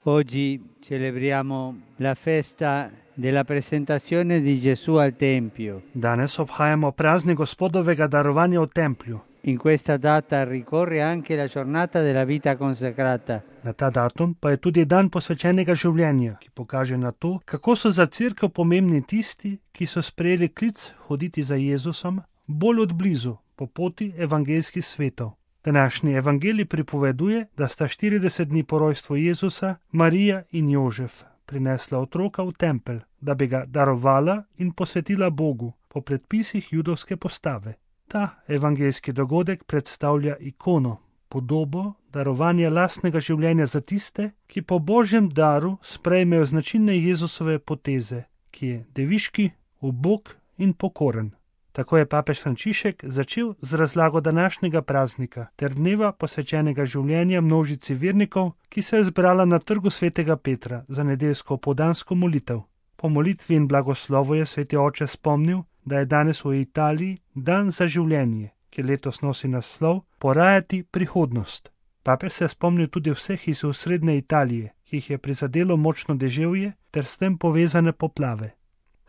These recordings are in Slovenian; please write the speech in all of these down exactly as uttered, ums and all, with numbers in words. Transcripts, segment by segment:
Oggi celebriamo la festa della presentazione di Gesù al Tempio. Danes obhajamo praznik Gospodovega darovanja v templju. In questa data ricorre anche la giornata della vita consacrata. Na ta datum pa je tudi dan posvečenega življenja, ki pokaže na to, kako so za cerkev pomembni tisti, ki so sprejeli klic hoditi za Jezusom bolj od blizu po poti evangeljskih svetov. Današnji evangelij pripoveduje, da sta štirideset dni po rojstvu Jezusa Marija in Jožef prinesla otroka v tempelj, da bi ga darovala in posvetila Bogu po predpisih judovske postave. Ta evangeljski dogodek predstavlja ikono, podobo darovanja lastnega življenja za tiste, ki po Božjem daru sprejmejo značilne Jezusove poteze, ki je deviški, ubog in pokoren. Tako je papež Frančišek začel z razlago današnjega praznika ter dneva posvečenega življenja množici vernikov, ki se je zbrala na trgu svetega Petra za nedeljsko popoldansko molitev. Po molitvi in blagoslovu je sveti oče spomnil, da je danes v Italiji dan za življenje, ki letos nosi naslov Porajati prihodnost. Papež se je spomnil tudi vseh iz osrednje Italije, ki jih je prizadelo močno deževje ter s tem povezane poplave.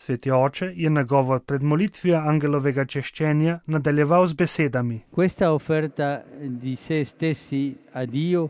Sveti oče je nagovor pred molitvijo angelovega češčenja nadaljeval z besedami. Questa offerta di se stessi a Dio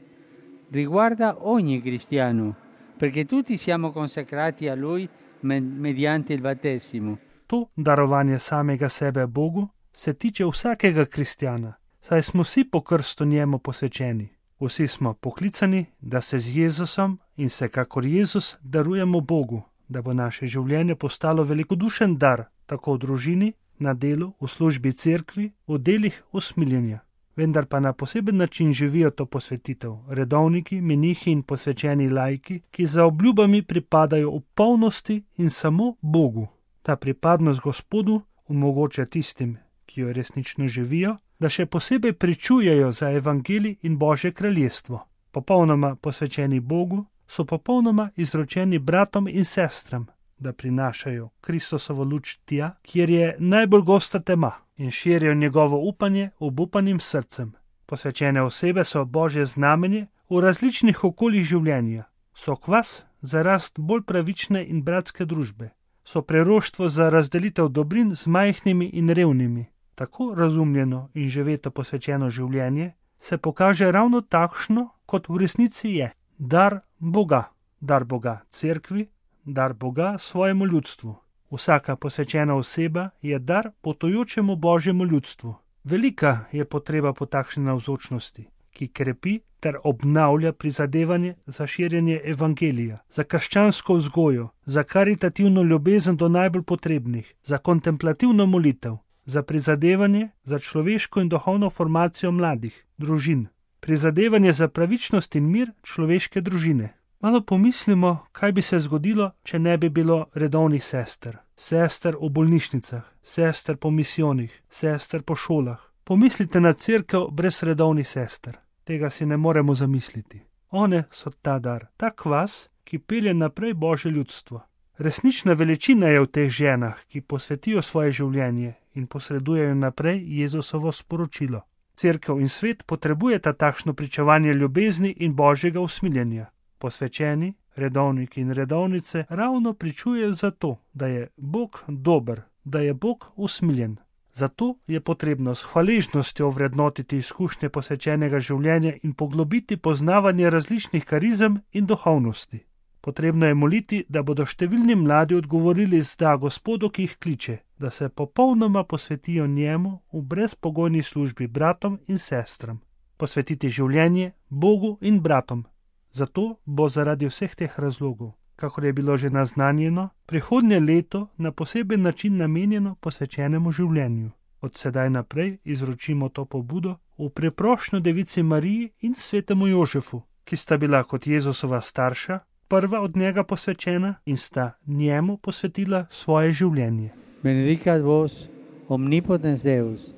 riguarda ogni cristiano, perché tutti siamo consacrati a Lui mediante il battesimo. To darovanje samega sebe Bogu se tiče vsakega kristjana, saj smo vsi po krstu njemu posvečeni. Vsi smo poklicani, da se z Jezusom in se kakor Jezus darujemo Bogu, da bo naše življenje postalo velikodušen dar, tako v družini, na delu, v službi cerkvi, v delih usmiljenja. Vendar pa na poseben način živijo to posvetitev redovniki, menihi in posvečeni laiki, ki za obljubami pripadajo v polnosti in samo Bogu. Ta pripadnost Gospodu omogoča tistim, ki jo resnično živijo, da še posebej pričujejo za evangelij in Božje kraljestvo. Popolnoma posvečeni Bogu so popolnoma izročeni bratom in sestram, da prinašajo Kristusovo luč tja, kjer je najbolj gosta tema, in širijo njegovo upanje obupanim srcem. Posvečene osebe so Božje znamenje v različnih okoljih življenja. So kvas za rast bolj pravične in bratske družbe. So preroštvo za razdelitev dobrin z majhnimi in revnimi. Tako razumljeno in živeto posvečeno življenje se pokaže ravno takšno, kot v resnici je. Dar Boga, dar Boga cerkvi, dar Boga svojemu ljudstvu. Vsaka posvečena oseba je dar potujočemu Božjemu ljudstvu. Velika je potreba po takšni navzočnosti, ki krepi ter obnavlja prizadevanje za širjenje evangelija, za krščansko vzgojo, za karitativno ljubezen do najbolj potrebnih, za kontemplativno molitev, za prizadevanje za človeško in duhovno formacijo mladih, družin, prizadevanje za pravičnost in mir človeške družine. Malo pomislimo, kaj bi se zgodilo, če ne bi bilo redovnih sester. Sester v bolnišnicah, sester po misijonih, sester po šolah. Pomislite na cerkev brez redovnih sester. Tega si ne moremo zamisliti. One so ta dar, ta kvas, ki pelje naprej Božje ljudstvo. Resnična veličina je v teh ženah, ki posvetijo svoje življenje in posredujejo naprej Jezusovo sporočilo. Cerkev in svet potrebujeta takšno pričevanje ljubezni in Božjega usmiljenja. Posvečeni, redovniki in redovnice ravno pričujejo zato, da je Bog dober, da je Bog usmiljen. Zato je potrebno s hvaležnostjo vrednotiti izkušnje posvečenega življenja in poglobiti poznavanje različnih karizem in duhovnosti. Potrebno je moliti, da bodo številni mladi odgovorili zda Gospodu, ki jih kliče, da se popolnoma posvetijo njemu v brezpogojni službi bratom in sestram. Posvetiti življenje Bogu in bratom. Zato bo zaradi vseh teh razlogov, kakor je bilo že naznanjeno, prihodnje leto na poseben način namenjeno posvečenemu življenju. Od sedaj naprej izročimo to pobudo v preprošnjo Devici Mariji in svetemu Jožefu, ki sta bila kot Jezusova starša, prva od njega posvečena in sta njemu posvetila svoje življenje. Benedicat vos omnipotens Deus,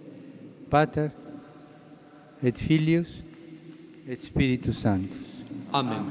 Pater et Filius et Spiritus Sanctus. Amen.